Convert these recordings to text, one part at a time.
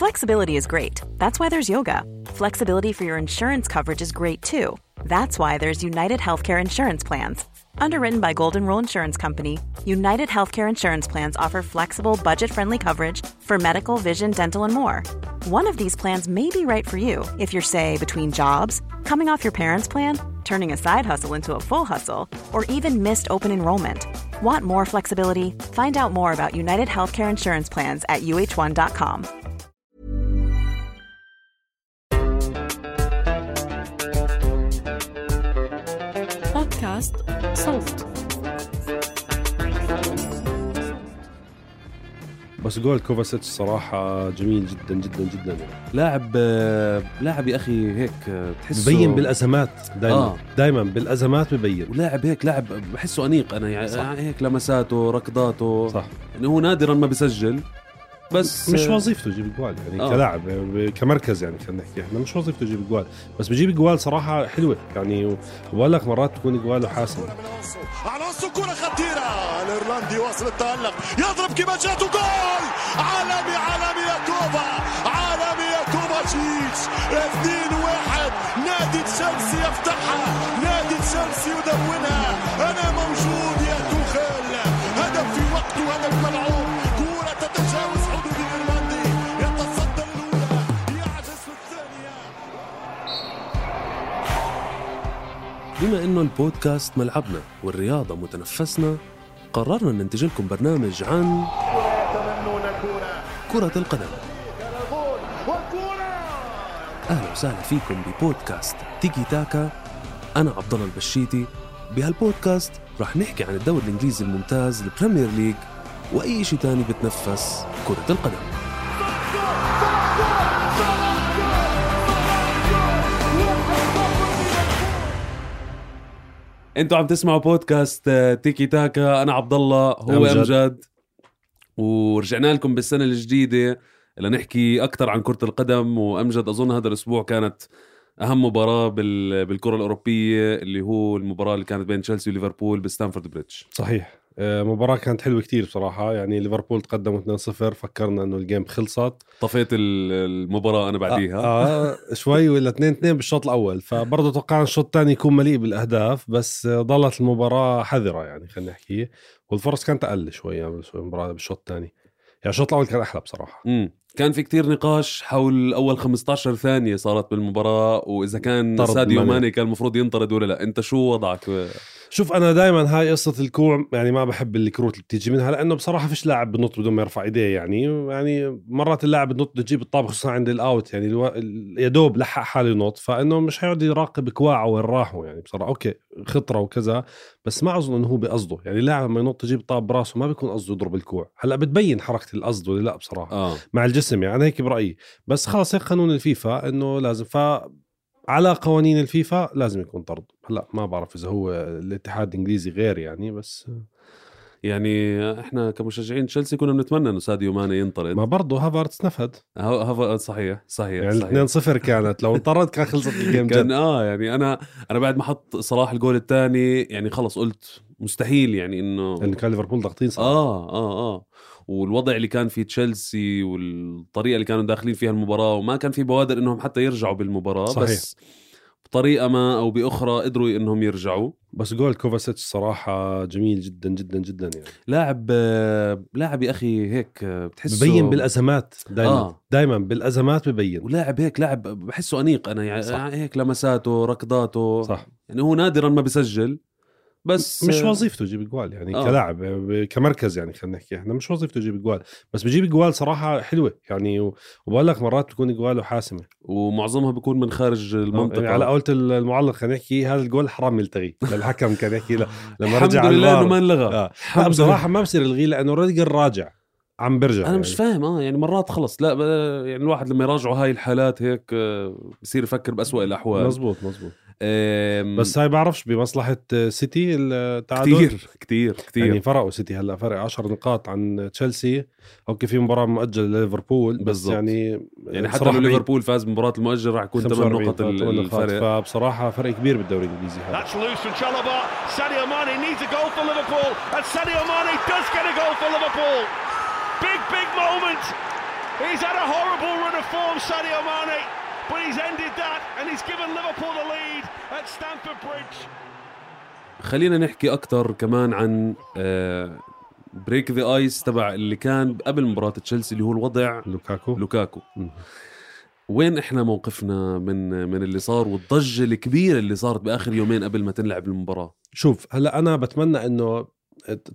Flexibility is great. That's why there's yoga. Flexibility for your insurance coverage is great too. That's why there's United Healthcare Insurance Plans. Underwritten by Golden Rule Insurance Company, United Healthcare Insurance Plans offer flexible, budget-friendly coverage for medical, vision, dental, and more. One of these plans may be right for you if you're, say, between jobs, coming off your parents' plan, turning a side hustle into a full hustle, or even missed open enrollment. Want more flexibility? Find out more about United Healthcare Insurance Plans at uh1.com. بودكاست صوت. بس جول كوفاسيتش صراحة جميل جدا جدا جدا لاعب يا أخي هيك تحسه ببين بالأزمات دايما بالأزمات ببين، ولاعب هيك لاعب بحسه أنيق أنا يعني هيك لمساته ركضاته صح. يعني هو نادرا ما بيسجل بس مش وظيفته يجيب جوال يعني كلاعب كمركز يعني خلينا نحكي احنا مش وظيفته يجيب جوال، بس بيجيب جوال صراحة حلوة يعني، وبقول لك مرات تكون جواله حاسمة. على كرة خطيرة الإيرلندي واصل التألق يضرب كما جاته جول عالمي يا كوفا عالمي يا كوفاتشيتش 2-1 نادي تشيلسي يفتحها نادي تشيلسي يدونها أنا موجود يا توخيل هدف في وقته هدف ملعوب كرة تتجاوز حدود الإيرلندي يتصدر الأولى يعجز في الثانية. بما إنه البودكاست ملعبنا والرياضة متنفسنا قررنا ننتج لكم برنامج عن كرة القدم. أهلا وسهلا فيكم ببودكاست تيكي تاكا. أنا عبد الله البشيتي. بهالبودكاست راح نحكي عن الدوري الإنجليزي الممتاز البريمير ليج وأي شيء تاني بتنفس كرة القدم. انتوا عم تسمعوا بودكاست تيكي تاكا. انا عبد الله هو امجد ورجعنا لكم بالسنه الجديده لنحكي اكثر عن كره القدم. وامجد اظن هذا الاسبوع كانت اهم مباراه بالكره الاوروبيه اللي هو المباراه اللي كانت بين تشيلسي وليفربول بستانفورد بريدج. صحيح مباراة كانت حلوة كتير بصراحة يعني. ليفربول تقدموا 2-0 فكرنا انه الجيم خلصت، طفيت المباراة انا بعديها شوي ولا 2-2 بالشوط الاول، فبرضه توقعنا الشوط الثاني يكون مليء بالاهداف بس ظلت المباراة حذرة يعني خلينا نحكي، والفرص كانت اقل شوية بالمباراة بالشوط الثاني. يعني الشوط الاول كان احلى بصراحة. كان في كتير نقاش حول اول 15 ثانية صارت بالمباراة واذا كان ساديو ماني كان المفروض ينطرد ولا لا. انت شو وضعك؟ شوف أنا دايما هاي قصة الكوع يعني ما بحب الكروت اللي بتيجي منها، لأنه بصراحة فيش لاعب بنط بدون ما يرفع إيديه يعني مرات اللاعب بنط تجيب الطابة خصوصا عند الأوت يعني يدوب لحق حاله ينط، فإنه مش هيقعد يراقب كواعه وين راحوا يعني بصراحة. أوكي خطرة وكذا بس ما أظن إنه هو بقصده يعني. اللاعب لما ينط تجيب الطابة براسه ما بيكون قصده يضرب الكوع. هلأ بتبين حركة القصد ولا لا بصراحة مع الجسم يعني هيك برأيي، بس خلاص هيك قانون الفيفا إنه لازم على قوانين الفيفا لازم يكون طرد. هلا ما بعرف اذا هو الاتحاد الانجليزي غير يعني، بس يعني احنا كمشجعين تشيلسي كنا بنتمنى انه ساديو ماني ينطرد. ما برضه هافرتس نفد. هافرتس صحيح يعني 2-0 كانت لو انطرد كان خلصت الجيم كان يعني انا بعد ما حط صلاح الجول الثاني يعني خلص قلت مستحيل يعني انه كان ليفربول ضاغطين صراحه والوضع اللي كان في تشيلسي والطريقة اللي كانوا داخلين فيها المباراة وما كان في بوادر انهم حتى يرجعوا بالمباراة. صحيح. بس بطريقة ما او باخرى قدروا انهم يرجعوا. بس جول كوفاسيتش صراحة جميل جدا جدا جدا يعني. لاعب يا اخي هيك بتحسه ببين بالازمات دايما بالازمات ببين، ولاعب هيك لاعب بحسه انيق انا يعني صح. هيك لمساته ركضاته صح. يعني هو نادرا ما بيسجل بس مش وظيفته يجيب جوال يعني كلاعب كمركز يعني خلينا نحكي احنا مش وظيفته يجيب جوال، بس بيجيب جوال صراحة حلوة يعني. وبقول لك مرات بتكون جواله حاسمة ومعظمها بيكون من خارج المنطقة يعني. على قولة المعلق خلينا نحكي هذا الجول حرام يلتغي للحكم كان يحكي لما رجع الحمد لله انه ما انلغى. بصراحة ما بصير الغي لانه روديجر راجع عم برجع. انا يعني مش فاهم يعني مرات خلص لا يعني الواحد لما يراجعوا هاي الحالات هيك بصير يفكر بأسوأ الاحوال. مزبوط بس هاي بعرفش بمصلحة سيتي التعادل كتير يعني فرقوا سيتي هلا فرق 10 نقاط عن تشيلسي. اوكي في مباراة مؤجلة لليفربول بس بالزبط. يعني حتى لو ليفربول فاز بمباراة المؤجل راح يكون 8 نقط الفرق، فبصراحة فرق كبير بالدوري الانجليزي هذا. Sadio Mane needs a goal for Liverpool and Sadio Mane does get a goal for Liverpool. Big moment He's had a horrible run of form, Sadio Mane, but he's ended that and he's given Liverpool the lead at Stamford Bridge. خلينا نحكي أكتر كمان عن بريك ذا آيس تبع اللي كان قبل مباراة تشيلسي اللي هو الوضع لوكاكو. وين إحنا موقفنا من اللي صار والضجة الكبيرة اللي صارت بآخر يومين قبل ما تنلعب المباراة؟ شوف هلأ أنا بتمنى إنه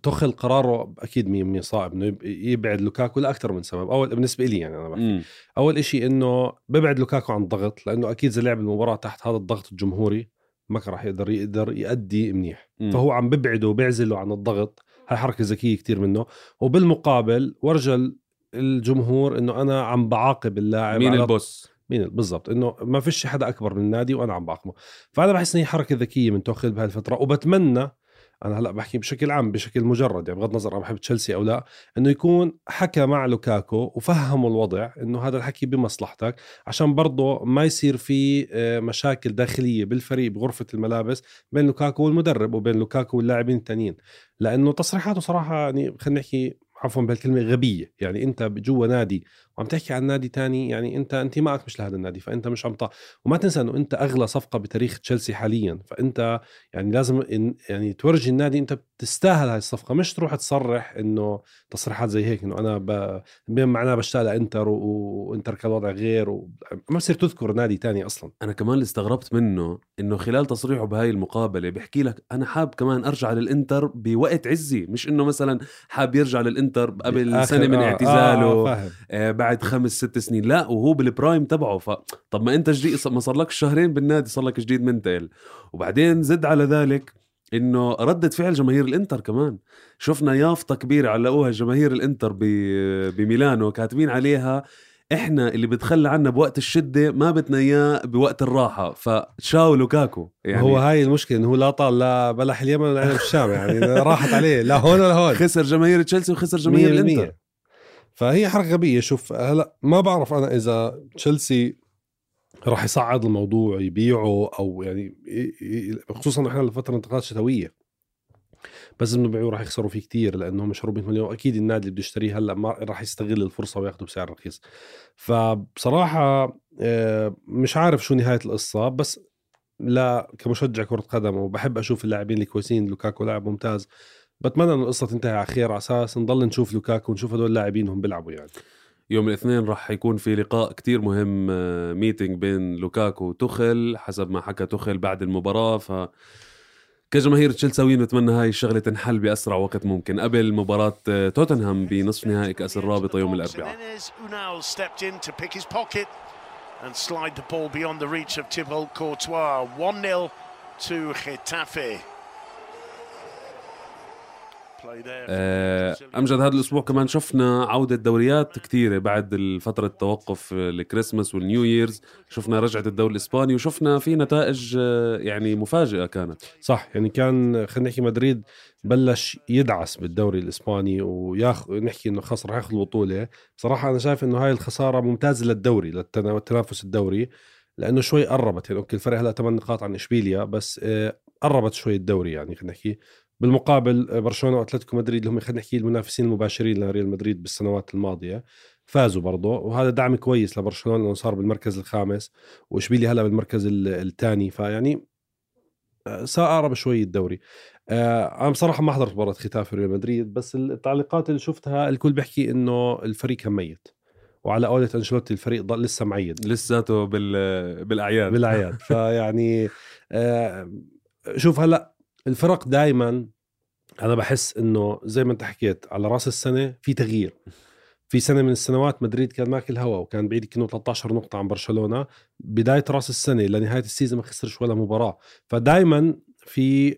تخل قراره أكيد 100% صعب إنه يبعد لوكاكو لأكثر من سبب. أول بالنسبة لي يعني أنا بحكي أول إشي إنه ببعد لوكاكو عن الضغط، لأنه أكيد إذا لعب المباراة تحت هذا الضغط الجمهوري ما كان راح يقدر يؤدي منيح. فهو عم ببعده وبيعزله عن الضغط. هاي حركة ذكية كتير منه. وبالمقابل ورجل الجمهور إنه أنا عم بعاقب اللاعب مين البوس بالضبط، إنه ما فيش حدا أكبر من النادي وأنا عم بعاقبه. فأنا بحس إن هي حركة ذكية من توخيل بهاي الفترة. وبتمنى أنا هلأ بحكي بشكل عام بشكل مجرد يعني بغض النظر أنا بحب تشيلسي أو لا، إنه يكون حكى مع لوكاكو وفهموا الوضع إنه هذا الحكي بمصلحتك، عشان برضه ما يصير في مشاكل داخلية بالفريق بغرفة الملابس بين لوكاكو والمدرب وبين لوكاكو واللاعبين التانيين. لأنه تصريحاته صراحة يعني خلينا نحكي عفوا بهالكلمة غبية. يعني أنت جوا نادي وعم تحكي عن نادي تاني، يعني أنت معك مش لهذا النادي، فأنت مش عم وما تنسى أنه أنت أغلى صفقة بتاريخ تشيلسي حاليا، فأنت يعني لازم يعني تورجي النادي أنت بتستاهل هاي الصفقة، مش تروح تصرح إنه تصريحات زي هيك إنه أنا معناه بشتاق لإنتر وإنتر كان وضع غير ما بصير تذكر نادي تاني أصلا. أنا كمان اللي استغربت منه إنه خلال تصريحه بهاي المقابلة بيحكي لك أنا حاب كمان أرجع للإنتر بوقت عزي، مش إنه مثلا حاب يرجع للإنتر قبل سنة من اعتزاله بعد 5-6 سنين، لا وهو بالبرايم تبعه. طب ما أنت جديد، ما صار لك شهرين بالنادي، صار لك جديد منتقل. وبعدين زد على ذلك إنه ردة فعل جماهير الإنتر كمان، شفنا يافطة كبيرة علقوها جماهير الإنتر بميلانو كاتبين عليها إحنا اللي بتخلى عنا بوقت الشدة ما بدنا إياه بوقت الراحة، فتشاو لوكاكو. يعني هو هاي المشكلة إنه هو لا طال لا بلح اليمن ولا عنب الشام، يعني راحت عليه لا هون ولا هون. خسر جماهير تشيلسي وخسر جماهير الإنتر، فهي حركة غبية. شوف هلا ما بعرف أنا إذا تشيلسي راح يصعد الموضوع يبيعه أو يعني خصوصا إحنا لفترة انتقالات شتوية، بس إنه بيعوه راح يخسروا فيه كتير لأنه مش 400 مليون. أكيد النادي اللي بده يشتريه هلا ما راح يستغل الفرصة وياخده بسعر رخيص. فبصراحة مش عارف شو نهاية القصة، بس لا كمشجع كرة قدم وبحب أشوف اللاعبين الكويسين. لوكاكو لاعب ممتاز، بتمنى أن القصة تنتهي على خير على أساس نضل نشوف لوكاكو ونشوف هدول اللاعبين هم بيلعبوا. يعني يوم الاثنين راح يكون في لقاء كتير مهم، ميتينج بين لوكاكو وتوخل حسب ما حكى توخل بعد المباراة. كجماهير تشيلساويين نتمنى هاي الشغلة تنحل بأسرع وقت ممكن قبل مباراة توتنهام بنصف نهائي كأس الرابطة يوم الأربعاء. And slide the ball beyond the reach of Thibaut Courtois. 1-0 to Getafe. أمجد هذا الأسبوع كمان شفنا عودة دوريات كتيرة بعد الفترة التوقف الكريسماس والنيو ييرز. شفنا رجعة الدوري الإسباني وشفنا في نتائج يعني مفاجئة كانت. صح، يعني كان خلينا نحكي مدريد بلش يدعس بالدوري الإسباني ونحكي إنه خسر راح ياخذ البطولة. بصراحة أنا شايف إنه هاي الخسارة ممتازة للدوري للتنافس الدوري، لأنه شوي قربت. يعني أوكي الفرق هلا 8 نقاط عن إشبيليا، بس قربت شوي الدوري. يعني خلينا نحكي بالمقابل برشلونة وأتلتيكو مدريد اللي هم خلينا نحكي المنافسين المباشرين لريال مدريد بالسنوات الماضية فازوا برضه، وهذا دعم كويس لبرشلونة لأنه صار بالمركز الخامس وإشبيليا هلا بالمركز الثاني. فيعني سأقرب شوي الدوري. أنا بصراحة ما حضرت مباراة ختافي ريال مدريد، بس التعليقات اللي شفتها الكل بيحكي إنه الفريق كان ميت، وعلى قولة أنشيلوتي الفريق ضل لسه معيد لساته بالأعياد. فيعني شوف هلأ الفرق دايما أنا بحس إنه زي ما أنت حكيت على رأس السنة في تغيير. في سنة من السنوات مدريد كان ماكل هوا وكان بعيد كأنه 13 نقطة عن برشلونة بداية رأس السنة لنهاية السيزن، ما خسرش ولا مباراة. فدايما في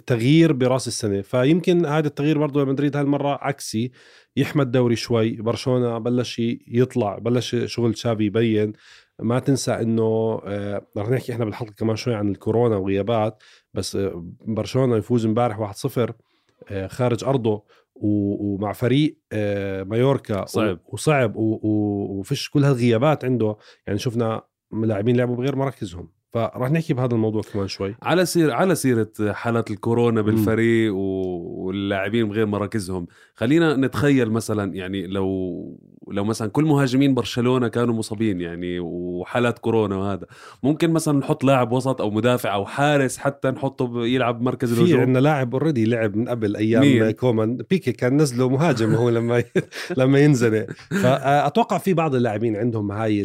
تغيير برأس السنة، فيمكن هذا التغيير برضو لمدريد هالمرة عكسي، يحمد دوري شوي. برشلونة بلش يطلع، بلش شغل شافي يبين. ما تنسى انه رح نحكي احنا بالحلقة كمان شوي عن الكورونا وغيابات، بس برشلونة يفوز امبارح 1-0 خارج أرضه ومع فريق مايوركا وصعب وفيش كل هالغيابات عنده. يعني شفنا لاعبين لعبوا بغير مراكزهم، فرح نحكي بهذا الموضوع كمان شوي. على سيرة حالات الكورونا بالفريق واللاعبين بغير مراكزهم، خلينا نتخيل مثلا يعني لو مثلا كل مهاجمين برشلونة كانوا مصابين يعني وحالات كورونا، وهذا ممكن مثلا نحط لاعب وسط أو مدافع أو حارس حتى نحطه يلعب مركز الهجوم. في عندنا لاعب اوريدي لعب من قبل أيام كومان، بيكي كان نزله مهاجم هو لما ينزل. فأتوقع في بعض اللاعبين عندهم هاي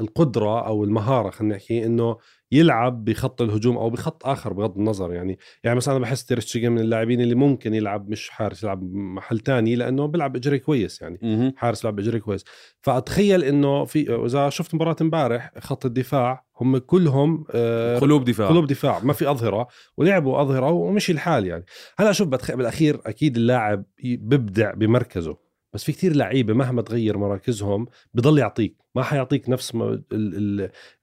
القدرة أو المهارة، خلينا نحكي إنه يلعب بخط الهجوم أو بخط آخر بغض النظر. يعني مثلا أنا بحس تير شتيجن من اللاعبين اللي ممكن يلعب مش حارس، يلعب محل تاني لأنه بيلعب إجري كويس يعني حارس بيلعب إجري كويس. فأتخيل إنه إذا شفت مباراة امبارح خط الدفاع هم كلهم قلوب دفاع ما في أظهرة، ولعبوا أظهرة ومشي الحال يعني. هلا شوف بالأخير أكيد اللاعب بيبدع بمركزه، بس في كتير لعيبة مهما تغير مراكزهم بضل يعطيك، ما حيعطيك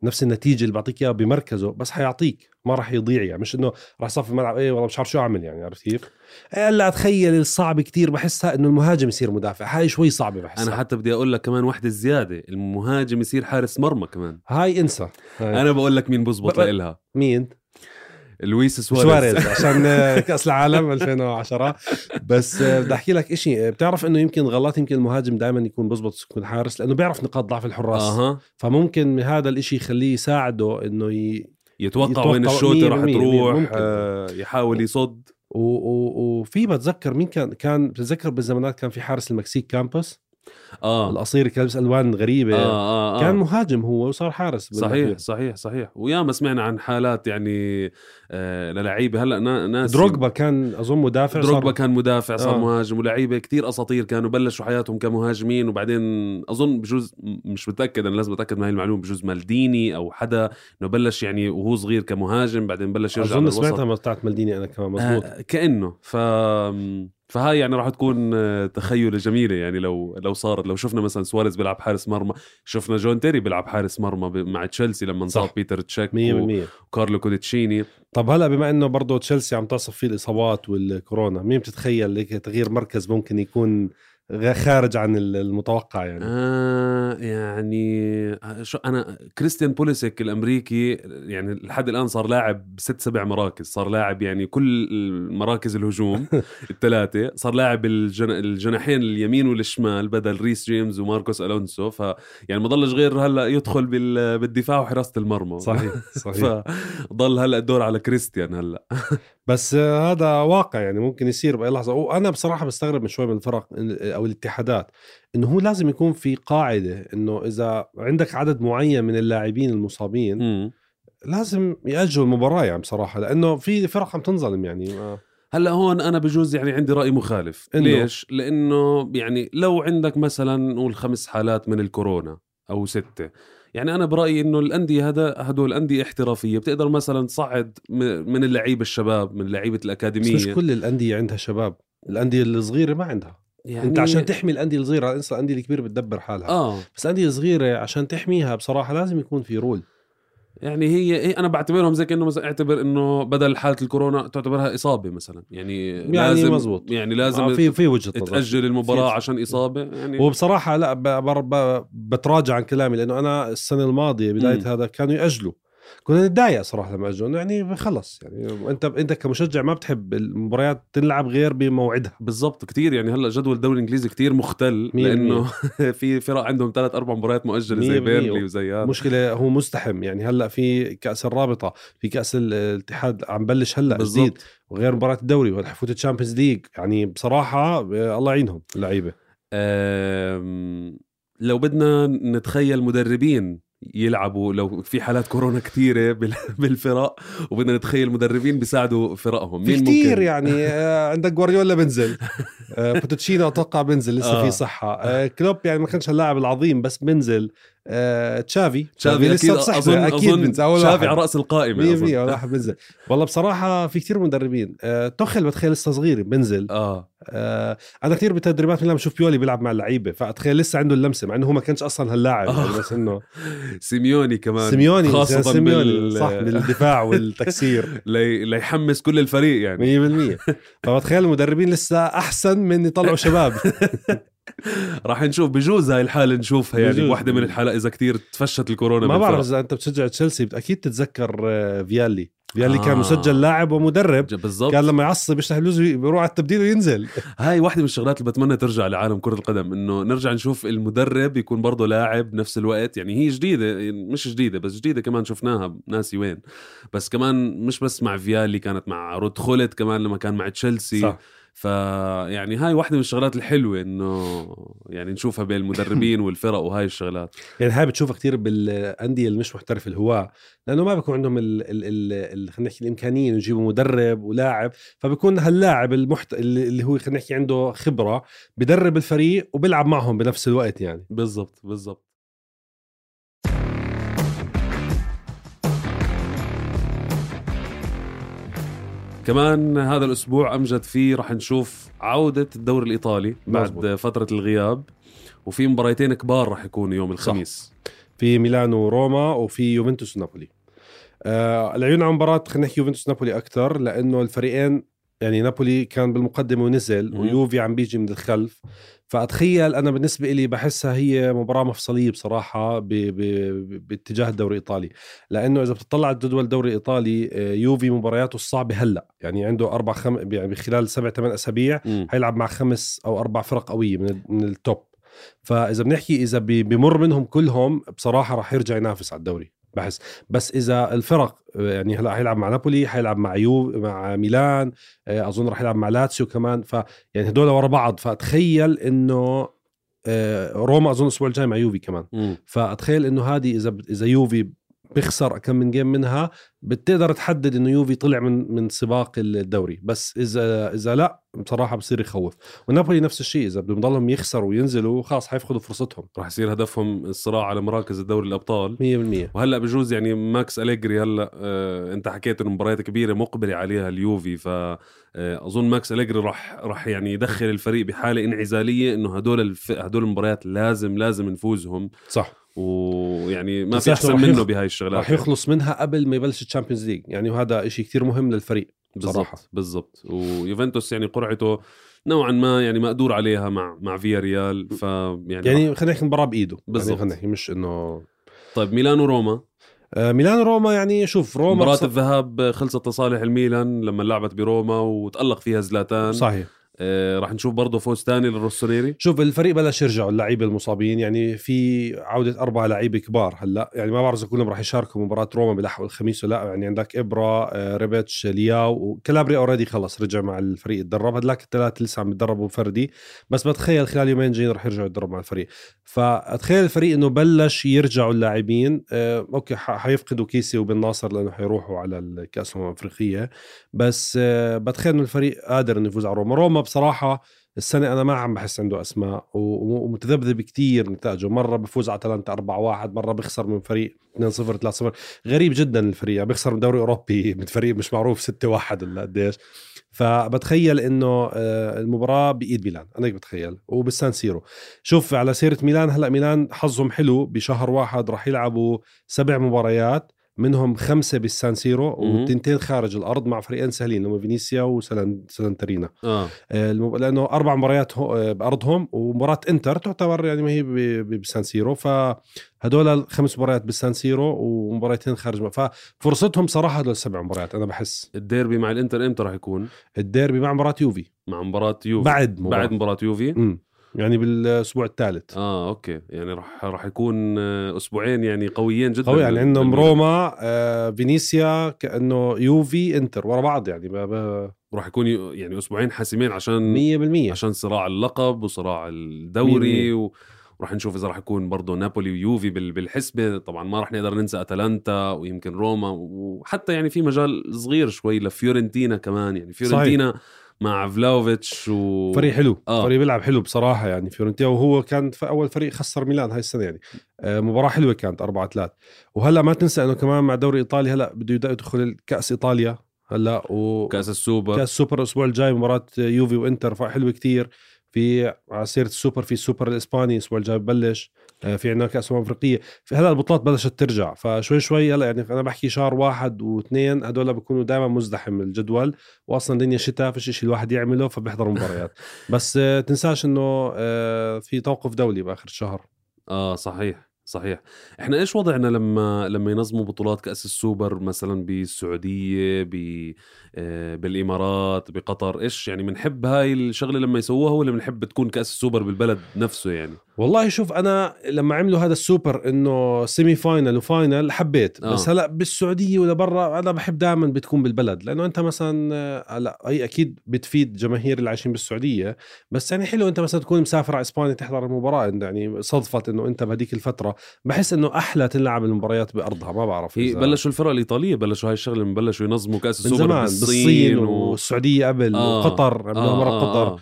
نفس النتيجة اللي بعطيك إياها بمركزه، بس حيعطيك ما راح يضيع يعني. مش إنه راح صف الملعب إيه والله مش عارف شو أعمل يعني، عرفت كيف؟ لا أتخيل الصعب كتير بحسها إنه المهاجم يصير مدافع، هاي شوي صعبة بحسها. أنا حتى بدي أقول لك كمان واحدة زيادة، المهاجم يصير حارس مرمى كمان، هاي انسى. أنا بقول لك مين بزبط لإلها. مين؟ لويس سواريز عشان كأس العالم 2010. بس بدي أحكي لك إشي، بتعرف إنه يمكن المهاجم دائما يكون بزبط يكون حارس لأنه بيعرف نقاط ضعف الحراس. فممكن هذا الإشي يخليه يساعده إنه يتوقع وين الشوطة راح تروح، يحاول يصد. وفي بتذكر مين كان بتذكر بالزمانات كان في حارس المكسيك كامبوس القصير كان لابس ألوان غريبة. كان مهاجم هو وصار حارس. صحيح. وياما سمعنا عن حالات يعني للعيبة. هلأ ناس دروغبا كان أظن مدافع، كان مدافع صار مهاجم، ولعيبة كتير أساطير كانوا بلشوا حياتهم كمهاجمين، وبعدين أظن بجوز مش متأكد، أنا لازم أتأكد من هاي المعلومة، بجوز مالديني أو حدا إنه بلش يعني وهو صغير كمهاجم بعدين بلش يرجع أظن سمعتها بتاعت مالديني أنا كمان مظبوط. كأنه فهاي يعني راح تكون تخيلة جميلة يعني لو صارت، لو شفنا مثلا سواريز بيلعب حارس مرمى، شفنا جون تيري بيلعب حارس مرمى مع تشيلسي لما انصاب بيتر تشيك وكارلو كوديتشيني. طب هلا بما انه برضو تشيلسي عم تصف فيه الاصابات والكورونا، مين بتتخيل لك تغيير مركز ممكن يكون خارج عن المتوقع يعني؟ يعني شو أنا كريستيان بوليسيك الأمريكي يعني لحد الآن صار لاعب 6-7 مراكز، صار لاعب يعني كل مراكز الهجوم الثلاثة، صار لاعب الجناحين اليمين والشمال بدل ريس جيمس وماركوس ألونسو. يعني ما ضلش غير هلا يدخل بالدفاع وحراسة المرمى. صحيح. فضل هلا الدور على كريستيان هلا. بس هذا واقع يعني ممكن يصير بأي لحظة. وأنا بصراحة بستغرب من شوي من الفرق أو الاتحادات إنه هو لازم يكون في قاعدة إنه إذا عندك عدد معين من اللاعبين المصابين لازم يأجلوا المباراة يعني بصراحة، لأنه في فرق عم تنظلم يعني. هلا هون أنا بجوز يعني عندي رأي مخالف. ليش؟ لأنه يعني لو عندك مثلا نقول 5 حالات من الكورونا أو 6، يعني أنا برأيي إنه الأندية هدول أندية احترافية بتقدر مثلا تصعد من اللعيبة الشباب، من لعيبة الأكاديمية. بس مش كل الأندية عندها شباب، الأندية الصغيرة ما عندها يعني. أنت عشان تحمي الأندية الصغيرة، انسى الأندية الكبيرة بتدبر حالها. بس الأندية الصغيرة عشان تحميها بصراحة لازم يكون في رول. يعني هي أنا بعتبرهم زي كأنه مثلا اعتبر إنه بدل حالة الكورونا تعتبرها إصابة مثلا، يعني لازم مزبوط. يعني لازم في وجهة نظر تأجل المباراة عشان إصابة يعني. وبصراحة لا بتراجع عن كلامي، لأنه أنا السنة الماضية بداية هذا كانوا يأجلوا، كنا نتضايق صراحة لما أجلوا يعني خلص يعني. أنت كمشجع ما بتحب المباريات تلعب غير بموعدها. بالضبط كتير يعني. هلا جدول الدوري الإنجليزي كتير مختل لأنه في فرق عندهم 3-4 مباريات مؤجلة زي بيرلي وزي هذا. مشكلة هو مزدحم يعني. هلا في كأس الرابطة، في كأس الاتحاد عم بلش هلا جديد، وغير مباراة الدوري وحفوت الشامبيونز ليج. يعني بصراحة الله يعينهم اللعيبة. لو بدنا نتخيل مدربين يلعبوا لو في حالات كورونا كتيرة بالفرق، وبدنا نتخيل مدربين بيساعدوا فرقهم، مين كتير ممكن؟ يعني عندك غوارديولا بنزل، بوتشينو أتوقع بنزل لسه في صحة، كلوب يعني ما كانش اللاعب العظيم بس بنزل، تشافي لسه بصحته أكيد بنزل، تشافي على رأس القائمة 100% واحد بنزل. والله بصراحة في كتير مدربين. توخل بتخيل لسه صغير بنزل. أنا كتير بتدريبات لما بشوف بيولي بيلعب مع اللعيبة فأتخيل لسه عنده اللمسة، مع إنه هو ما كانش أصلا هاللاعب يعني. بس إنه سيميوني كمان، خاصة صح بالدفاع والتكسير ليحمس كل الفريق يعني 100%. فبتخيل المدربين لسه أحسن من يطلعوا شباب. راح نشوف بجوز هاي الحالة نشوفها يعني بجوز. بواحدة من الحالات إذا كتير تفشت الكورونا. ما بعرف بالفرق. إذا أنت بتشجع تشيلسي أكيد تتذكر فيالي كان مسجل لاعب ومدرب. بالضبط. كان لما يعصب يشتح اللوز بيروح على التبديل وينزل. هاي واحدة من الشغلات اللي بتمنى ترجع لعالم كرة القدم، إنه نرجع نشوف المدرب يكون برضه لاعب بنفس الوقت. يعني هي جديدة، مش جديدة بس جديدة كمان شفناها ناسي وين، بس كمان مش بس مع فيالي، كانت مع رود خولت كمان لما كان مع تشيلسي. صح. فيعني هاي واحدة من الشغلات الحلوة إنه يعني نشوفها بين المدربين والفرق وهاي الشغلات. يعني هاي بتشوفها كتير بالأندية اللي مش محترف الهواة، لأنه ما بيكون عندهم خلينا نحكي الإمكانية يجيبوا مدرب ولاعب، فبيكون هاللاعب اللي هو خلينا نحكي عنده خبرة بدرب الفريق وبيلعب معهم بنفس الوقت يعني. بالضبط. كمان هذا الأسبوع أمجد فيه رح نشوف عودة الدوري الإيطالي بعد مزبوط. فترة الغياب، وفي مباريتين كبار رح يكونوا يوم الخميس. في ميلان وروما وفي يوفنتوس ونابولي. العيون على مباراة خلينا نحكي يوفنتوس نابولي أكتر، لأنه الفريقين يعني نابولي كان بالمقدمة ونزل ويوفي عم بيجي من الخلف. فأتخيل أنا بالنسبة إلي بحسها هي مباراة مفصلية بصراحة باتجاه الدوري الإيطالي، لأنه إذا بتطلع الجدول الدوري الإيطالي يوفي مبارياته الصعبة هلأ يعني عنده 4-5 يعني بخلال 7-8 أسابيع هيلعب مع 5 أو 4 فرق قوية من التوب. فإذا بنحكي إذا بمر منهم كلهم بصراحة راح يرجع ينافس على الدوري بحس. بس إذا الفرق يعني هلا هيلعب مع نابولي، هيلعب مع ميلان، أظن راح يلعب مع لاتسيو كمان، يعني هدول ورا بعض. فأتخيل إنه روما أظن الأسبوع الجاي مع يوفي كمان. فأتخيل إنه هذه إذا يوفي بيخسر كم من جيم منها بتقدر تحدد إنه يوفي طلع من سباق الدوري. بس إذا لا بصراحة بصير يخوف. ونابولي نفس الشيء، إذا بدهم يضلهم يخسروا وينزلوا خلاص حيفقدوا فرصتهم، راح يصير هدفهم الصراع على مراكز الدوري الأبطال 100%. وهلأ بجوز يعني ماكس أليجري هلأ أنت حكيت إنه مباريات كبيرة مقبلة عليها اليوفي، فأظن ماكس أليجري راح يعني يدخل الفريق بحالة انعزالية إنه هدول المباريات لازم نفوزهم. صح. ويعني ما في أحسن منه بهاي الشغلات، راح يخلص منها قبل ما يبلش الشامبيونز ليج يعني، وهذا إشي كتير مهم للفريق بصراحة. بالضبط. ويوفنتوس يعني قرعته نوعا ما يعني مقدور عليها مع فيا ريال، يعني خلينا نحكي مباراة بإيده بالضبط. خلينا نحكي مش إنه. طيب ميلان وروما. ميلان وروما يعني شوف روما مباراة الذهاب خلصت لصالح الميلان لما لعبت بروما وتألق فيها زلاتان. صحيح. راح نشوف برضه فوز تاني للروسونيري. شوف الفريق بلش يرجعوا اللعيبه المصابين، يعني في عوده 4 لعيبه كبار هلا، يعني ما بعرف اذا كلهم راح يشاركوا مباراه روما بلحق الخميس ولا لا. يعني عندك ابرا، ريبيتش، لياو، وكالابري اوريدي خلص رجع مع الفريق يتدرب. هدلاك الثلاثه لسه عم يتدربوا فردي، بس بتخيل خلال يومين جايين راح يرجعوا يتدربوا مع الفريق. فاتخيل الفريق انه بلش يرجعوا اللاعبين. اوكي حيفقدوا كيسي وبن ناصر لانه حيروحوا على الكاس الافريقيه، بس بتخيل انه الفريق قادر انه يفوز على روما بصراحة. السنة أنا ما عم بحس عنده أسماء ومتذبذب كتير نتائجه. مرة بفوز على أتلانتا 4-1، مرة بيخسر من فريق 2-0 3-0. غريب جدا الفريق، بيخسر من دوري أوروبي من فريق مش معروف 6-1 ولا قديش. فبتخيل إنه المباراة بإيد ميلان، أنا بتخيل وبالسان سيرو. شوف على سيرة ميلان، هلأ ميلان حظهم حلو بشهر 1 راح يلعبوا 7 مباريات، منهم 5 بالسان سيرو و2 خارج الأرض مع فريقين سهلين لما فينيسيا وسلنترينا. لأنه 4 مباريات بأرضهم، ومباراة إنتر تعتبر يعني ما هي بالسان سيرو. فهدول 5 مباريات بالسان سيرو ومباراتين خارج، ففرصتهم صراحة هدول 7 مباريات. أنا بحس الديربي مع الإنتر إمتى راح يكون؟ الديربي مع مباراة يوفي بعد مباراة يوفي يعني بالأسبوع الثالث. أوكي، يعني راح يكون أسبوعين يعني قويين جدا. قوي يعني عندهم روما، فينيسيا، كأنه يوفي، إنتر ورا بعض يعني راح يكون يعني أسبوعين حاسمين عشان 100% عشان صراع اللقب وصراع الدوري. وراح نشوف إذا راح يكون برضو نابولي ويوفي بالحسبة. طبعا ما راح نقدر ننسى أتلانتا ويمكن روما، وحتى يعني في مجال صغير شوي لفيورنتينا كمان. يعني فيورنتينا صحيح. مع فلاوفيتش فريق حلو. فريق بيلعب حلو بصراحة يعني فيورنتينا، وهو كان في أول فريق خسر ميلان هاي السنة يعني. مباراة حلوة كانت 4-3. وهلأ ما تنسى أنه كمان مع دوري إيطالي هلأ بده يدخل الكأس إيطاليا هلأ، كأس السوبر الأسبوع الجاي مباراة يوفي وإنتر، حلوة كتير. في عسيرة السوبر، في السوبر الإسباني الأسبوع الجاي ببلش، في عنا كأس أفريقية، في هلا البطولات بلشت ترجع، فشوي شوي هلا يعني أنا بحكي شهر 1 و2 هدول بيكونوا دائما مزدحم الجدول، وأصلا الدنيا شتاء فيش إشي الواحد يعمله فبيحضر مباريات. بس تنساش إنه في توقف دولي بآخر الشهر. صحيح. احنا ايش وضعنا لما ينظموا بطولات كأس السوبر مثلا بالسعودية بالإمارات بقطر؟ ايش يعني بنحب هاي الشغلة لما يسووها، ولا بنحب تكون كأس السوبر بالبلد نفسه يعني؟ والله شوف أنا لما عملوا هذا السوبر إنه سيمي فاينل وفاينل حبيت، بس هلأ بالسعودية ولا برا أنا بحب دائما بتكون بالبلد، لأنه أنت مثلا هلا هي أكيد بتفيد جماهير اللي عايشين بالسعودية، بس يعني حلو أنت مثلا تكون مسافر على إسبانيا تحضر المباراة، يعني صدفت إنه أنت بهديك الفترة بحس إنه أحلى تلعب المباريات بأرضها. ما بعرف بلشوا الفرق الإيطالية بلشوا هاي الشغلة، بلشوا ينظموا كأس السوبر بالصين والسعودية قبل وقطر مرة قطر.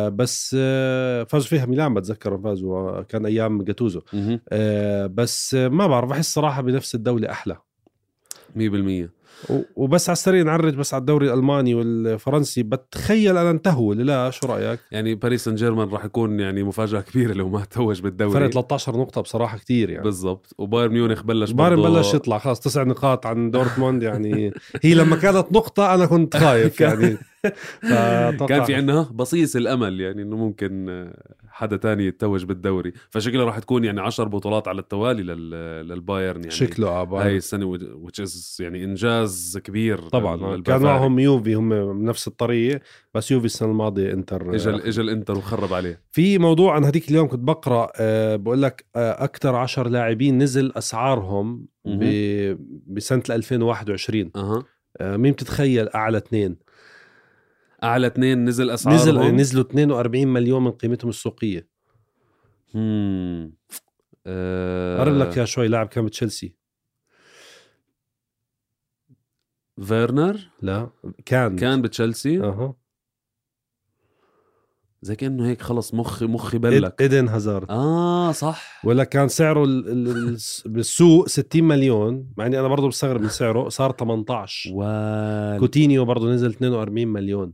بس فازوا فيها ميلان، بتذكر فازوا كان أيام جاتوزو. بس ما بعرف، بحس صراحة بنفس الدولة أحلى 100%. وبس على السريع نعرج بس على الدوري الألماني والفرنسي، بتخيل أنا انتهوا لا شو رأيك؟ يعني باريس سان جيرمان راح يكون يعني مفاجأة كبيرة لو ما توج بالدوري، فرق 13 نقطة بصراحة كتير يعني. بالضبط. وبايرن ميونخ بلش يطلع خلاص 9 نقاط عن دورتموند يعني هي لما كانت نقطة أنا كنت خايف يعني كان في عنا بصيص الأمل يعني إنه ممكن حدا تاني يتوج بالدوري، فشكله راح تكون يعني 10 بطولات على التوالي للبايرن يعني شكله هاي السنة which is يعني إنجاز كبير طبعا. كان معهم يوفي هم بنفس الطريقة، بس يوفي السنة الماضية انتر اجى الانتر وخرب عليه. في موضوع أنا هديك اليوم كنت بقرأ بقول لك أكتر 10 لاعبين نزل أسعارهم بسنة 2021. مين بتتخيل أعلى اثنين نزل أسعارهم؟ نزلوا 42 مليون من قيمتهم السوقية. قرب لك يا شوي. لاعب كان بتشيلسي. فيرنر؟ لا كان بتشيلسي. زي كأنه هيك خلص مخي بلك. إيدن هازارد. صح. ولا كان سعره بالسوق 60 مليون، مع اني انا برضو بستغرب من سعره، صار 18. كوتينيو برضو نزل 42 مليون.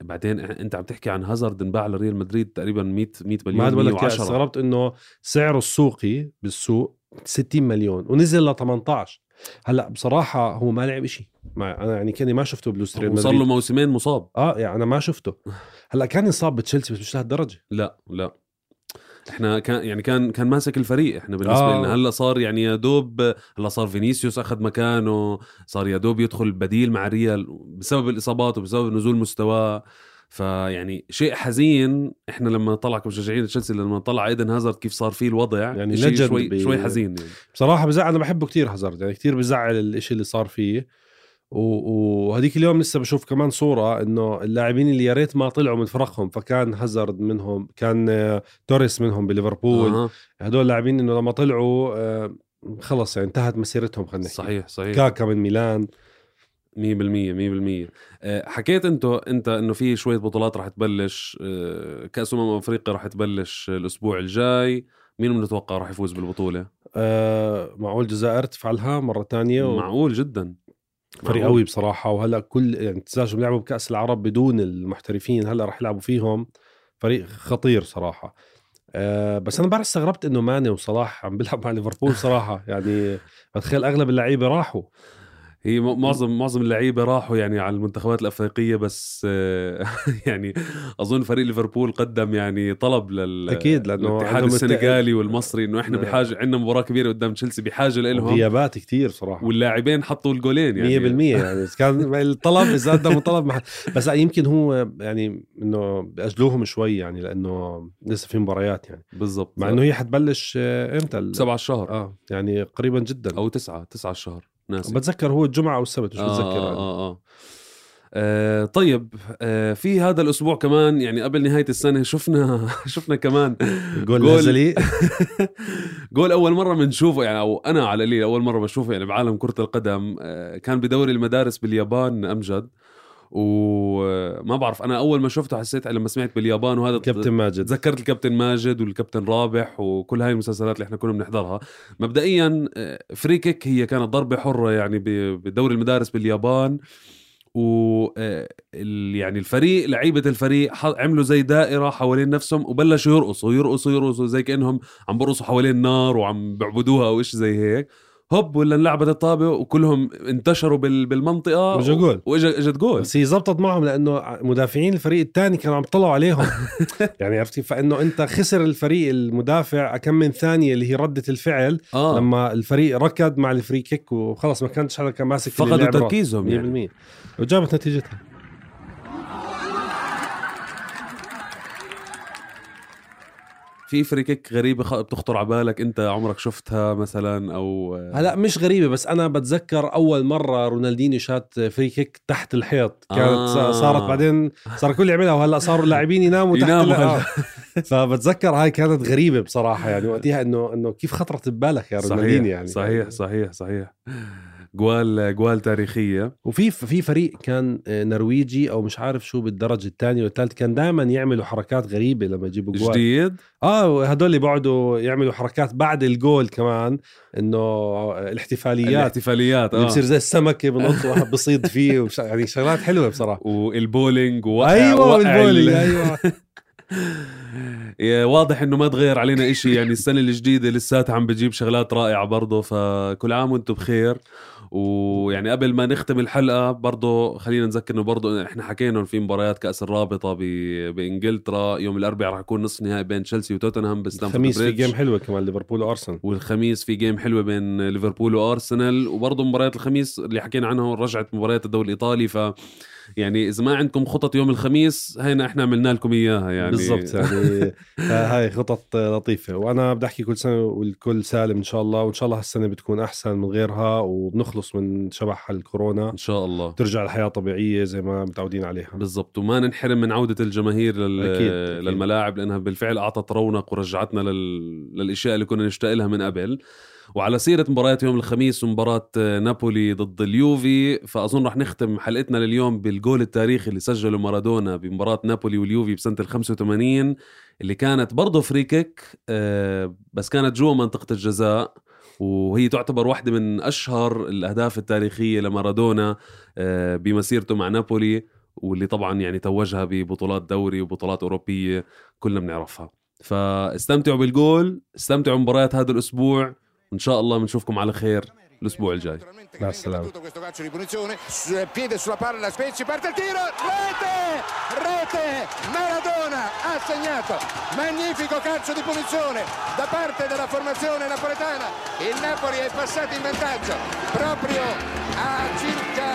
بعدين انت عم تحكي عن هازارد انباع لريال مدريد تقريبا 100 مليون. ما بقول لك استغربت انه سعره السوقي بالسوق 60 مليون ونزل ل 18. هلا بصراحه هو ما لعب إشي انا يعني كاني ما شفته بلوس ريال مدريد، صار له موسمين مصاب. يعني انا ما شفته. هلا كان يصاب بتشيلسي بس مش لهالدرجه. لا احنا كان ماسك الفريق احنا بالنسبه لنا. هلا صار يعني يا دوب، هلا صار فينيسيوس اخذ مكانه، صار يا دوب يدخل بديل مع ريال بسبب الاصابات وبسبب نزول مستواه. فيعني شيء حزين احنا لما طلع كمشجعين تشيلسي، لما طلع ايدن هازارد كيف صار فيه الوضع يعني شوي حزين يعني. بصراحه بزعل. انا بحبه كتير هازارد يعني، كتير بزعل الاشي اللي صار فيه. وهديك اليوم لسه بشوف كمان صورة انه اللاعبين اللي يا ريت ما طلعوا من فرقهم، فكان هازارد منهم، كان توريس منهم بليفربول. هدول اللاعبين انه لما طلعوا خلص يعني انتهت مسيرتهم. خلينا نحكي صحيح. كاكا من ميلان 100%. حكيت انت انه في شوية بطولات راح تبلش. كأس افريقيا راح تبلش الاسبوع الجاي. مين بنتوقع راح يفوز بالبطولة؟ معقول الجزائر تفعلها مرة تانية؟ معقول جدا، فريق قوي بصراحة. وهلأ كل يعني تزاجوا لعبوا بكأس العرب بدون المحترفين، هلأ رح يلعبوا فيهم. فريق خطير صراحة. بس أنا بعرف استغربت إنه ماني وصلاح عم بيلعب مع ليفربول صراحة. يعني بتخيل أغلب اللعيبة راحوا. هي معظم اللعيبة راحوا يعني على المنتخبات الأفريقية، بس يعني أظن فريق ليفربول قدم يعني طلب أكيد لأنه الاتحاد السنغالي والمصري إنه إحنا بحاجة، عندنا مباراة كبيرة قدام تشيلسي بحاجة لهم، غيابات كتير صراحة، واللاعبين حطوا الجولين يعني 100% يعني كان الطلب إذا قدموا طلب بس يمكن هو يعني إنه بأجلوهم شوي يعني لأنه لسه في مباريات يعني. بالضبط. مع إنه هي حتبلش إمتى 7 الشهر يعني قريبا جدا، أو 9 الشهر ناسي. بتذكر هو الجمعة أو السبت مش بتذكر. طيب في هذا الأسبوع كمان يعني قبل نهاية السنة شفنا كمان جول جول أول مرة بنشوفه يعني، أو أنا على القليل أول مرة بشوفه يعني بعالم كرة القدم. كان بدوري المدارس باليابان أمجد، وما بعرف أنا أول ما شفته حسيت لما سمعت باليابان وهذا كابتن ماجد، تذكرت الكابتن ماجد والكابتن رابح وكل هاي المسلسلات اللي احنا كنا بنحضرها. مبدئيا فري كيك هي كانت ضربة حرة يعني بدوري المدارس باليابان، يعني الفريق لعيبة الفريق عملوا زي دائرة حوالين نفسهم وبلشوا يرقصوا زي كأنهم عم برقصوا حوالين نار وعم بعبدوها أو إيش زي هيك. هوب ولا انلعبت الطابة وكلهم انتشروا بالمنطقة وإجت جول. بس هي زبطت معهم لأنه مدافعين الفريق الثاني كانوا عم يطلعوا عليهم يعني عرفتي. فإنه أنت خسر الفريق المدافع كم من ثانية اللي هي ردة الفعل لما الفريق ركض مع الفري كيك وخلص ما كانش حدا كان ماسك فقدوا تركيزهم 100% يعني. وجابت نتيجتها. في فري كيك غريبة بتخطر على بالك أنت عمرك شفتها مثلا أو هلا مش غريبة بس أنا بتذكر أول مرة رونالدينيو شات فري كيك تحت الحيط كانت صارت بعدين صار كل يعملها وهلا صاروا اللاعبين يناموا تحت فبتذكر هاي كانت غريبة بصراحة يعني وقتها إنه كيف خطرت ببالك يا رونالدينيو يعني. صحيح جوال تاريخية. وفي فريق كان نرويجي او مش عارف شو بالدرجة الثانية والثالث كان دائما يعملوا حركات غريبة لما يجيبوا جوال جديد. هدول اللي بعدوا يعملوا حركات بعد الجول كمان انه الاحتفاليات اللي بصير زي السمكة بنط واحد بصيد فيه يعني شغلات حلوة بصراحة. والبولينج ايوه واضح انه ما تغير علينا اشي يعني. السنة الجديدة لساتها عم بتجيب شغلات رائعة برضو. فكل عام وانتم بخير. ويعني قبل ما نختم الحلقة برضو خلينا نذكر انه برضو احنا حكينا في مباريات كأس الرابطة بإنجلترا يوم الأربعاء راح يكون نصف نهائي بين تشيلسي وتوتنهام بستانفورد بريدج. الخميس في جيم حلوة كمان ليفربول وأرسنال. والخميس في جيم حلوة بين ليفربول وأرسنال. وبرضو مباريات الخميس اللي حكينا عنها رجعت مباريات الدوري الإيطالي. يعني إذا ما عندكم خطط يوم الخميس هينا إحنا عملنا لكم إياها يعني بالضبط يعني هاي خطط لطيفة. وأنا بدي أحكي كل سنة والكل سالم إن شاء الله. وإن شاء الله هالسنة بتكون أحسن من غيرها وبنخلص من شبح الكورونا إن شاء الله. ترجع الحياة طبيعية زي ما متعودين عليها. بالضبط. وما ننحرم من عودة الجماهير للملاعب لأنها بالفعل أعطت رونق ورجعتنا للأشياء اللي كنا نشتاق لها من قبل. وعلى سيرة مباريات يوم الخميس ومباراة نابولي ضد اليوفي فأظن رح نختم حلقتنا لليوم بالجول التاريخي اللي سجله مارادونا بمباراة نابولي واليوفي بسنة 85 اللي كانت برضو فريكيك بس كانت جوا منطقة الجزاء. وهي تعتبر واحدة من أشهر الأهداف التاريخية لمارادونا بمسيرته مع نابولي واللي طبعا يعني توجها ببطولات دوري وبطولات أوروبية كلنا بنعرفها. فاستمتعوا بالجول. استمتعوا بمباريات هذا الأسبوع وإن شاء الله بنشوفكم على خير الأسبوع الجاي. مع السلامة. Piede sulla palla, Spezia, parte il tiro, rete, Maradona ha segnato, magnifico calcio di punizione da parte della formazione napoletana. Il Napoli è passato in vantaggio proprio a circa